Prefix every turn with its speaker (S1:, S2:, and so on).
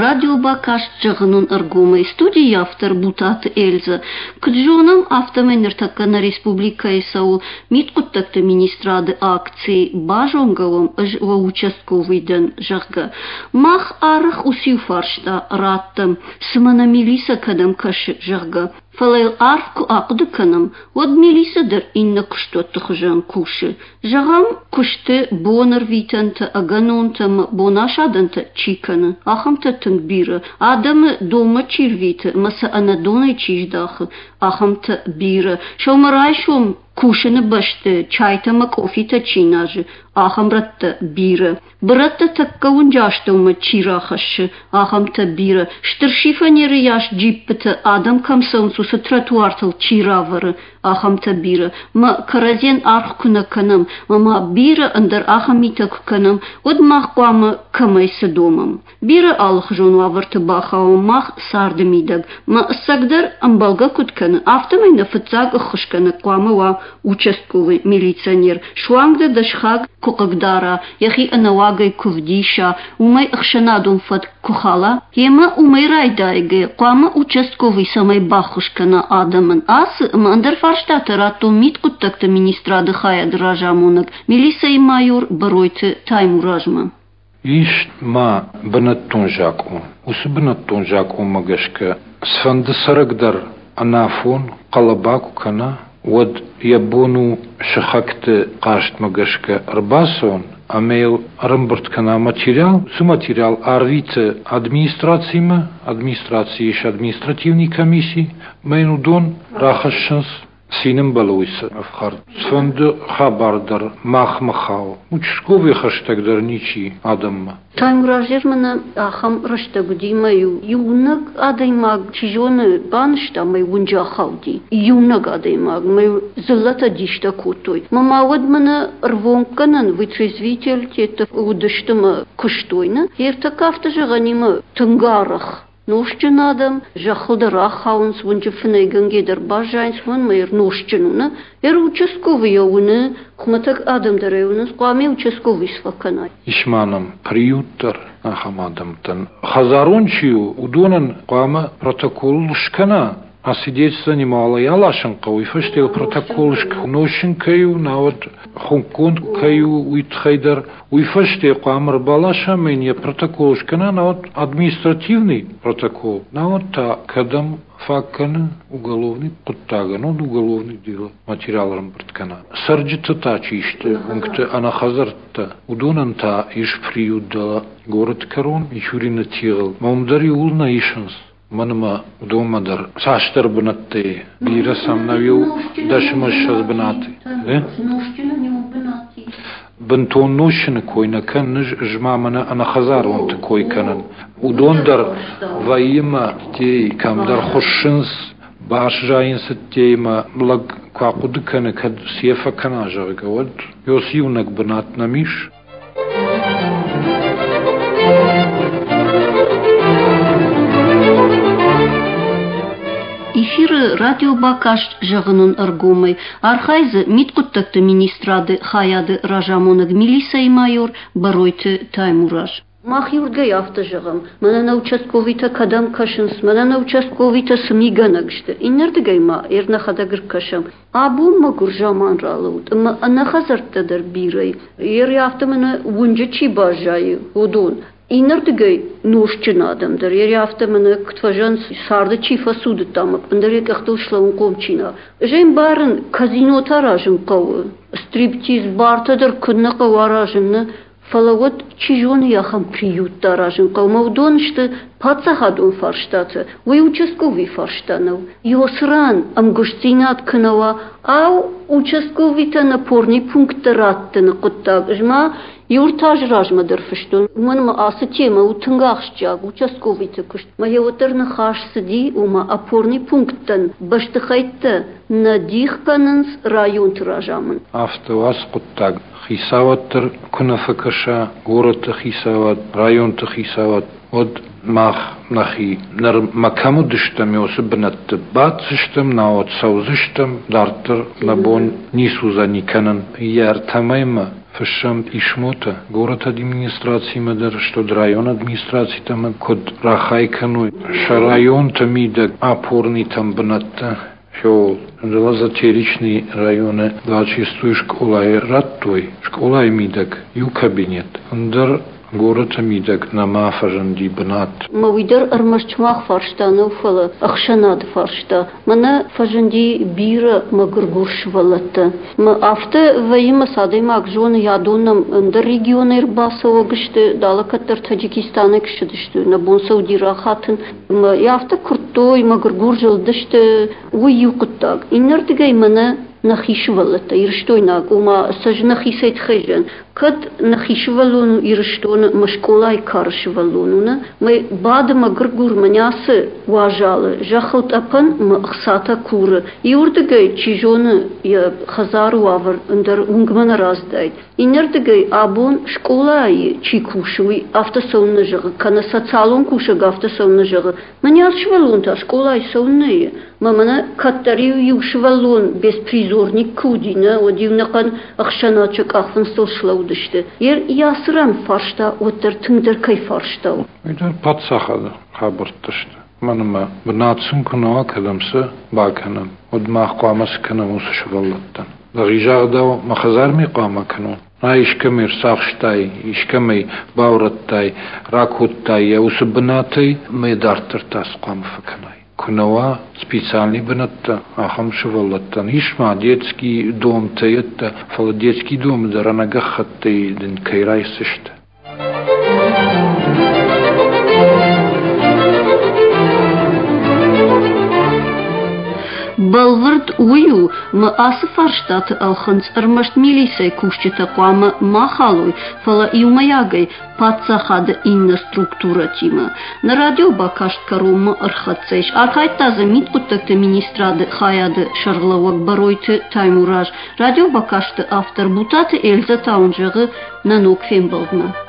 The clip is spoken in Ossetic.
S1: радиобакаст Зӕгъын уын ӕргомӕй. Студийы автор Бутаты Эльзӕ. Куыд зонӕм, афтӕмӕй ныртӕккӕ нӕ республикӕйы цӕуы Мидхъуыддӕгты министрады акци Базонгӕ уӕм, ӕз уӕ участковый дӕн, зӕгъгӕ. Мах арӕх уыциу фарста раттӕм, цымӕ нӕ милицӕ кӕдӕм кӕсы, зӕгъгӕ. Фӕлӕ йыл арф куы ахъуыды кӕнӕм, уӕд милицӕ дӕр иннӕ куыстуӕтты хуызӕн кусы. Зӕгъӕм, куысты, бонӕрвитӕнтӕ, ӕгӕнонтӕ ӕмӕ бонасадӕнтӕ чи кӕны, ахӕмтӕ тынг бирӕ. Адӕмы донмӕ чи рвиты ӕмӕ сӕ ӕнӕдонӕй чи здахы, ахӕмтӕ бирӕ. Сӕумӕрайсом кусыны бӕсты чайтӕ ӕмӕ къофитӕ чи назы, ахӕм рӕттӕ бирӕ. Бырӕттӕ тӕккӕ уынджы астӕумӕ чи рахӕссы, ахӕмтӕ бирӕ. Стыр шифанеры йас джиппытӕ, адӕм кӕм цӕуынц, уыцы тротуартыл чи равӕры, ахӕмтӕ бирӕ. Мӕ кӕрӕдзийӕн аргъ куы нӕ кӕнӕм, ӕмӕ ма бирӕ ӕндӕр ахӕм митӕ куы кӕнӕм, уӕд мах хъуамӕ кӕмӕй цы домӕм? Бирӕ алыхуызон уавӕрты бахауӕм мах царды мидӕг. Мӕ ӕцӕгдӕр ӕмбӕлгӕ куыд кӕны, афтӕмӕй нӕ фыццаг ӕххуысгӕнӕг хъуамӕ уа участковый милиционер. Суанг дӕ дӕ сыхаг куы хъыгдара, йӕхи ӕнӕуагӕй куы вдиса, уымӕй ӕхсӕнадон фӕтк куы хала, йемӕ уымӕй райдайгӕ, хъуамӕ участковый цӕмӕй баххуыс кӕна адӕмӕн. Ацы ӕмӕ ӕндӕр фарстатӕ радтон мидхъуыддӕгты министрады хайады разамонӕг, милицӕйы майор Бӕройты Таймуразмӕ.
S2: Ис ма бынӕттон закъон. Уыцы бынӕттон закъонмӕ гӕсгӕ цыфӕнды цӕрӕг дӕр ӕнафон хъӕлӕба куы кӕна, уӕд йӕ бон у сыхӕгты хъастмӕ гӕсгӕ ӕрбацӕуын ӕмӕ йыл ӕрӕмбырд кӕна материал. Уыцы материал арвиты администрацимӕ, администрацийы ис административный комисси, ӕмӕ йын уыдон рахӕссынц Цин ӕмбӕлы уый ӕфхӕрд. Цыфӕнды хабар дӕр махмӕ хауы. Участковый хӕстӕг дӕр ничи адӕммӕ.
S1: Таймуразӕн мӕнӕ ахӕм рӕстӕг уыди, мӕ-иу иунӕг адӕймаг, чи зоны, банызта мӕ уынджы ахауди. Иунӕг адӕймаг, мӕ-иу дзыллӕтӕ дистӕ кодтой. Мӕ ма уӕд мӕнӕ ӕрвонггӕнӕн вытрезвительтӕ уыдысты мӕ куыстой, нӕ? Ӕртӕккӕ афтӕ зӕгъӕнимӕ тынг арӕх Нозтджын адӕм зӕххыл дӕр ахауынц, уынджы фынӕйгӕнгӕ дӕр баззайынц, уымӕн ӕмӕ нозтджын у, нӕ? Ӕр участковый йӕ уыны, хуымӕтӕг адӕм дӕр ӕй уынынц, хъуамӕ участковый сфӕкӕнай.
S2: Ис ма нӕм приют дӕр ахӕм адӕмтӕн. Хӕдзарон чи у, уыдонӕн хъуамӕ протокол скӕна, освидетельствование аласын хъӕуы, уый фӕстӕ протокол нозтджын кӕй у, науӕд хуынкъгонд кӕй у, уый тыххӕй дӕр. Уый фӕстӕ хъуамӕ ӕрбаласа ӕмӕ йын йӕ протокол скӕна, науӕд административный протокол, науӕд та кӕдӕм фаг кӕны уголовный хъуыддагӕн, уӕд уголовный дело материал ӕрӕмбырд кӕна. Цӕрджытӕ та чи сты, уынгты ӕнӕхӕдзӕрттӕ, уыдонӕн та ис приют дӕлӕ горӕты кӕрон Мичурины тигъыл. Ӕмӕ уым дӕр иууыл нӕ исынц. Мӕнмӕ уыдонмӕ дӕр цасдӕр бынӕттӕй бирӕ сӕм нӕу иу дӕсмӕ ссӕдз бынаты. Бынтон нозтджыны кой нӕ кӕнын, ӕз ма мӕнӕ ӕнӕхӕдзаронты кой кӕнын. Уыдон дӕр вӕййы мӕ кӕмдӕр хуыссынц, баззайынц ӕддейы лӕг куы ахъуыды кӕны, кӕд цы фӕкӕна, зӕгъгӕ, уӕд ёс иунӕг бынат нӕм ис.
S1: Эфиры радиобакаст зӕгъын уын ӕргомӕй, архайы дзы мидхъуыддӕгты министрады хайады разамонӕг милицӕйы майор Бӕройты Таймураз. Мах иуырдыгӕй афтӕ зӕгъӕм, мӕнӕ нӕ участковыйтӕ кӕдӕм кӕсынц, мӕнӕ нӕ участковыйтӕ цы мигӕнӕг сты. Иннӕрдыгӕй ма нӕхӕдӕг ӕркӕсӕм. Абон мӕгуыр заман ралӕуд ӕмӕ ӕнӕхӕдзӕрттӕ дӕр бирӕ. Ер афтӕ мӕнӕ уынджы чи баззайы, уыдон. Иннӕрдыгӕй нозтджын адӕм дӕр, ер афтӕ мӕнӕ куыд фӕзӕгъынц, царды чи фӕцудыдта ӕмӕ ӕндӕр йӕ къӕхтыл слӕууынхъом чи нӕ. Ӕз ӕй ӕмбарын, казинотӕ аразын хъӕуы, стриптиз, бартӕ дӕр куыннӕ хъӕуы аразын, нӕ, Фӕлӕ уӕд, чи зоны, ахӕм приюттӕ аразын хъӕуы, ӕмӕ уыдон сты паддзахадон фарстатӕ, уый участковый фарста нӕу. Ёсран ӕмгуыстдзинад куы нӕ уа, ау, участковыйтӕн опорный пункттӕ раттыны хъуыддаг ӕз ма иу ӕртӕ азы размӕ дӕр фыстон, уымӕн ӕмӕ ацы темӕ у тынг ахсджиаг, участковыйты куыст. Мӕ уӕддӕр ныхас цыди, ома опорный пункттӕн бӕстыхӕйттӕ нӕ дих кӕнынц районты разамынд.
S2: Афтӕ у ацы хъуыддаг. Хицауад дӕр куы нӕ фӕкӕса, горӕты хицауад, районты хицауад, уӕд мах нӕхи нырмӕ кӕм уыдыстӕм, уыцы бынӕтты баддзыстӕм, науӕд цӕудзыстӕм, дарддӕр нӕ бон ницы уыдзӕни кӕнын. Йӕ ӕртӕ мӕймӕ. Фыссӕм писмотӕ горӕты администрацимӕ дӕр, стӕй районы администрацитӕм, куыд рахай кӕной сӕ районты мидӕг опорнитӕм бынӕттӕ. Феол Лазотеричный районы 26 скъолайы радтой, скъолайы мидӕг иу кабинет, ӕндӕр горӕты мидӕг нӕма фӕзынди бынат.
S1: Ӕмӕ уый дӕр ӕрмӕст сымах фарста нӕу, фӕлӕ ӕхсӕнады фарста. Мӕнӕ фӕзынди бирӕ мӕгуыргур сывӕллӕттӕ. Мӕ афтӕ вӕййы, мӕ цы адӕймаг зоны, адон нӕм ӕндӕр регионӕй ӕрбацӕуӕг сты, далӕ кӕддӕр Таджикистанӕй куы ссыдысты, нӕ бон сӕ уыди рахатын. Ӕмӕ йӕ афтӕ куырдтой, мӕгуыргур зылдысты, уый иу хъуыддаг. Иннӕрдыгӕй мӕнӕ нӕхи сывӕллӕттӕ, ирыстойнаг, ома сӕ нӕхицӕй тыххӕй зӕн. Кӕд нӕхи сывӕллон у Ирыстоны мӕ скъолайы кары сывӕллон у, нӕ? Мӕ бады мӕгуыргур мӕнӕ ацы уазалы, зӕххыл тъӕпӕн мӕ ӕхцатӕ куры. Иуырдыгӕй, чи зоны, йӕ хӕдзары уавӕр ӕндӕр уынгмӕ нӕ рацыдаид. Иннӕрдыгӕй, абон скъолайы чи кусы, уый афтӕ цӕуыннӕ зӕгъы, кӕнӕ социалон кусӕг афтӕ цӕуыннӕ зӕгъы, мӕнӕ ацы сывӕллон та скъолайы цӕуыннӕ и? Мӕ мӕнӕ кӕддӕр-иу иу сывӕллон беспризорник куы уыди, нӕ, уӕд-иу нӕхъӕн ӕхсӕнад сӕ къахфындзтыл слӕудысты. Йе ацы ран фарста уӕддӕр тынгдӕр кӕй фарста у?
S2: Уый дӕр паддзахады хабӕрттӕ сты. Мӕнмӕ бынат сын куы нӕ уа, кӕдӕм сӕ бакӕнӕм, уӕд мах хъуамӕ цы кӕнӕм уыцы сывӕллӕттӕн? Лӕгизагъдау мӕ хӕдзармӕ хъуамӕ кӕнон? А искӕмӕй ӕрцахстай, искӕмӕй баурӕдтай, ракодтай йӕ уыцы бынатӕй, мӕ дарддӕр та цы хъуамӕ фӕкӕнай? Куы нӕ уа специальный бынӕттӕ ахӕм сывӕллӕттӕн, ис ма детский домтӕ йедтӕ, фӕлӕ детский домы дӕр ӕнӕгӕххӕттӕй дын кӕй райсдзысты.
S1: Бӕлвырд уый у, мӕ ацы фарстаты ӕлхынцъ ӕрмӕст милицӕйы кусджытӕ хъуамӕ ма халой, фӕлӕ иумӕйагӕй паддзахады иннӕ структурӕтимӕ. Нӕ радиобакаст кӕронмӕ ӕрхӕццӕ ис. Архайдта дзы мидхъуыддӕгты министрады хайады сӕргълӕууӕг Бӕройты Таймураз. Радиобакасты автор Бутаты Эльзӕ та уын зӕгъы нӕ ног фембӕлдмӕ.